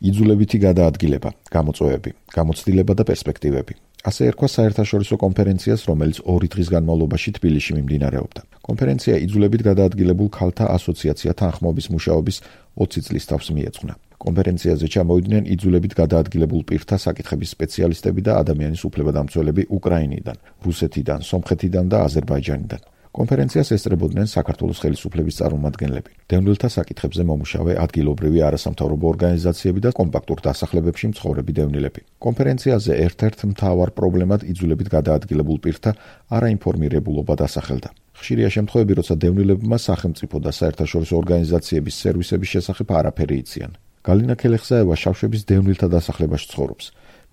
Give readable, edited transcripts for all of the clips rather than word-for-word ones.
იძულებითი გადაადგილება, გამოწვევები, გამოცდილება და პერსპექტივები. ასე ერქვა საერთაშორისო კონფერენციას, რომელიც 2 დღის განმავლობაში თბილისში მიმდინარეობდა. კონფერენცია იძულებით გადაადგილებულ ქალთა ასოციაცია თანხმობის მუშაობის 20 წლის თავს მიეძღვნა. კონფერენციაზე ჩამოვიდნენ იძულებით გადაადგილებულ პირთა საკითხების სპეციალისტები და ადამიანის უფლებადამცველები უკრაინიდან, რუსეთიდან, სომხეთიდან და აზერბაიჯანიდან. კონფერენციას ესწრებოდნენ საქართველოს ხელისუფლების წარმომადგენლები, დევნილთა საკითხებზე მომუშავე ადგილობრივი არასამთავრობო ორგანიზაციები და კომპაქტურ დასახლებებში მცხოვრები დევნილები. კონფერენციაზე ერთ-ერთ მთავარ პრობლემად იძულებით გადაადგილებულ პირთა არაინფორმირებულობა დასახელდა. ხშირია შემთხვევები, როცა დევნილებმა სახელმწიფო და საერთაშორისო ორგანიზაციების სერვისების შესახებ არაფერი იციან. გალინა ქელეხსაევა შავშების დევნილთა დასახლებაში ცხოვრობს.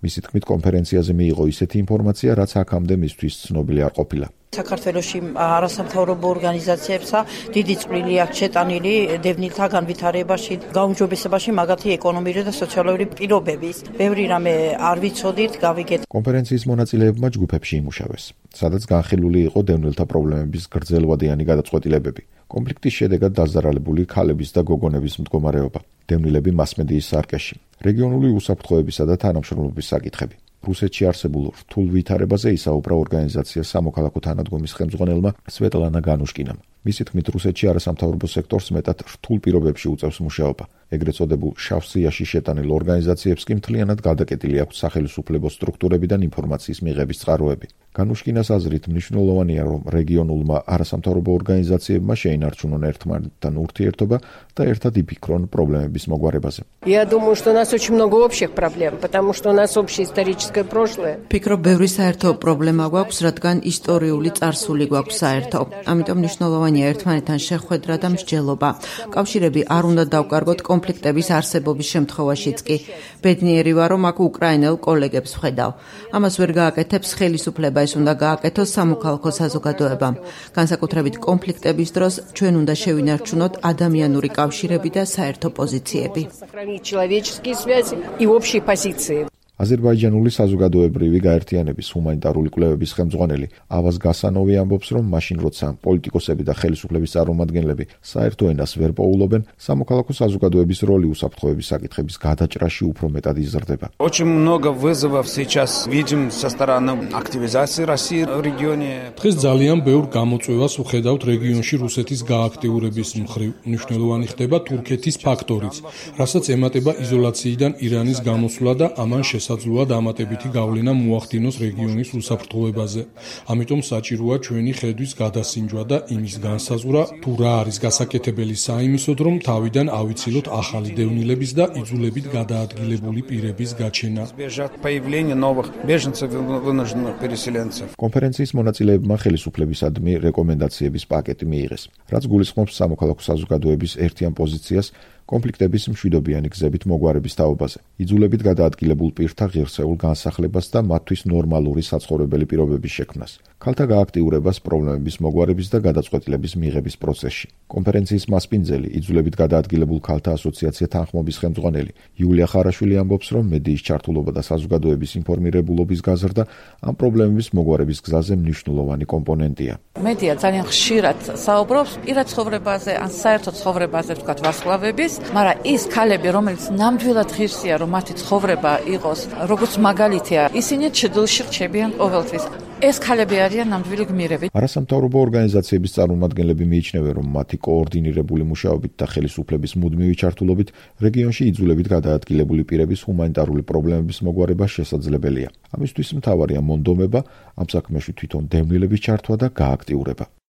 მისი თქმით, კონფერენციაზე მიიღო ისეთი ინფორმაცია, რაც აქამდე მისთვის ცნობილი არ ყოფილა. საქართველოში არასამთავრობო ორგანიზაციებსა დიდი წვლილი აქვს შეტანილი დევნილთა განვითარებაში, გაუმჯობესებაში, მაგათი ეკონომიკური და სოციალური პირობების. ბევრი რამე არ ვიცოდით, გავიგეთ. კონფერენციის მონაწილეებმა ჯგუფებში იმუშავეს, სადაც განხილული იყო დევნილთა პრობლემების გრძელვადიანი გადაწყვეტილებები. კონფლიქტის შედეგად დაზარალებული ქალების და გოგონების მდგომარეობა, დევნილები მასმედიის სარკეში, რეგიონული უსაფრთხოებისა და თანამშრომლობის საკითხები. რუსეთში არსებულ რთულ ვითარებაზე ისაუბრა ორგანიზაცია სამოქალაქო თანადგომის ხელმძღვანელმა სვეტლანა განუშკინამ. მისი თქმით, რუსეთში არასამთავრობო სექტორს მეტად რთულ პირობებში უწევს მუშაობა. ეგრეთ წოდებულ შავ სიაში შეტანილ ორგანიზაციებს კი მთლიანად გადაკეტილი აქვს სახელმწიფო სტრუქტურებიდან ინფორმაციის მიღების წყაროები. განუშკინას აზრით მნიშვნელოვანია, რომ რეგიონულმა არასამთავრობო ორგანიზაციებმა შეინარჩუნონ ერთმანეთთან ურთიერთობა და ერთად იფიქრონ პრობლემების მოგვარებაზე. Я думаю, что у нас очень много общих проблем, потому что у нас общее историческое прошлое. Ფიქრობ, ბევრი საერთო პრობლემა გვაქვს, რადგან ისტორიული წარსული გვაქვს საერთო. ამიტომ მნიშვნელოვანია ერთმანეთთან შეხვედრა და მსჯელობა. კავშირები არ უნდა დავკარგოთ კონფლიქტების არსებობის შემთხვევაშიც კი. ბედნიერი ვარ, რომ აქ უკრაინელ კოლეგებს ვხედავ. ამას ვერ გააკეთებს ხელისუფლება, ეს უნდა გააკეთოს სამოქალაქო საზოგადოებამ. განსაკუთრებით კონფლიქტების დროს ჩვენ უნდა შევინარჩუნოთ ადამიანური კავშირები და საერთო პოზიციები. აზერბაიჯანული საზოგადოებრივი გაერთიანების ჰუმანიტარული კვლევების ხელმძღვანელი ავაზ გასანოვი ამბობს, რომ მაშინ როცა პოლიტიკოსები და ხელისუფლების წარმომადგენლები საერთო ენას ვერ პოულობენ, სამოქალაქო საზოგადოების როლი უსაფრთხოების საკითხების გადაჭრაში უფრო მეტად იზრდება. Очень много вызовов сейчас видим со стороны активизации России в регионе. დღეს ძალიან ბევრ გამოწვევას ვხედავთ რეგიონში რუსეთის გააქტიურების მხრივ. მნიშვნელოვანი ხდება თურქეთის ფაქტორიც, რასაც ემატება იზოლაციიდან ირანის გამოსვლა და ამან შესაძლოა დამატებითი გავლენა მოახდინოს რეგიონის უსაფრთხოებაზე. ამიტომ საჭიროა ჩვენი ხედვის გადასინჯვა და იმის განსაზღვრა, თუ რა არის გასაკეთებელი საიმისოდ, რომ თავიდან ავიცილოთ ახალი დევნილების და იძულებით გადაადგილებული პირების გაჩენა. კონფერენციის მონაწილეებმა ხელისუფლებისადმი რეკომენდაციების პაკეტი მიიღეს, რაც გულისხმობს სამოქალაქო საზოგადოების ერთიან პოზიციას კონფლიქტების მშვიდობიანი გზებით მოგვარების თაობაზე, იძულებით გადაადგილებულ პირთა ღირსეულ განსახლებას და მათთვის ნორმალური საცხოვრებელი პირობების შექმნას, ქალთა გააქტიურებას პრობლემების მოგვარების და გადაწყვეტილების მიღების პროცესში. კონფერენციის მასპინძელი, იძულებით გადაადგილებულ ქალთა ასოციაცია თანხმობის ხელმძღვანელი იულია ხარაშვილი ამბობს, რომ მედიის ჩართულობა და საზოგადოების ინფორმირებულობის გაზრდა ამ პრობლემების მოგვარების გზაზე მნიშვნელოვანი კომპონენტია. მედია ძალიან ხშირად საუბრობს პირად ცხოვრებაზე, ან საერთო ცხოვრებაზე, ვთქვათ, ვარსკვლავების, მაგრამ ის ქალები, რომელიც ნამდვილად ღირსია, რომ მათი ცხოვრება იყოს როგორც მაგალითია, ისინი ჩრდილში რჩებიან ყოველთვის. ეს ქალები არიან ნამდვილი გმირები. არასამთავრობო ორგანიზაციების წარმომადგენლები მიიჩნევენ, რომ მათი კოორდინირებული მუშაობით და ხელისუფლების მუდმივი ჩართულობით რეგიონში იძულებით გადაადგილებული პირების ჰუმანიტარული პრობლემების მოგვარება შესაძლებელია. ამისთვის მთავარია მონდომება, ამ საქმეში თვითონ დევნილების ჩართვა და გააქტიურება.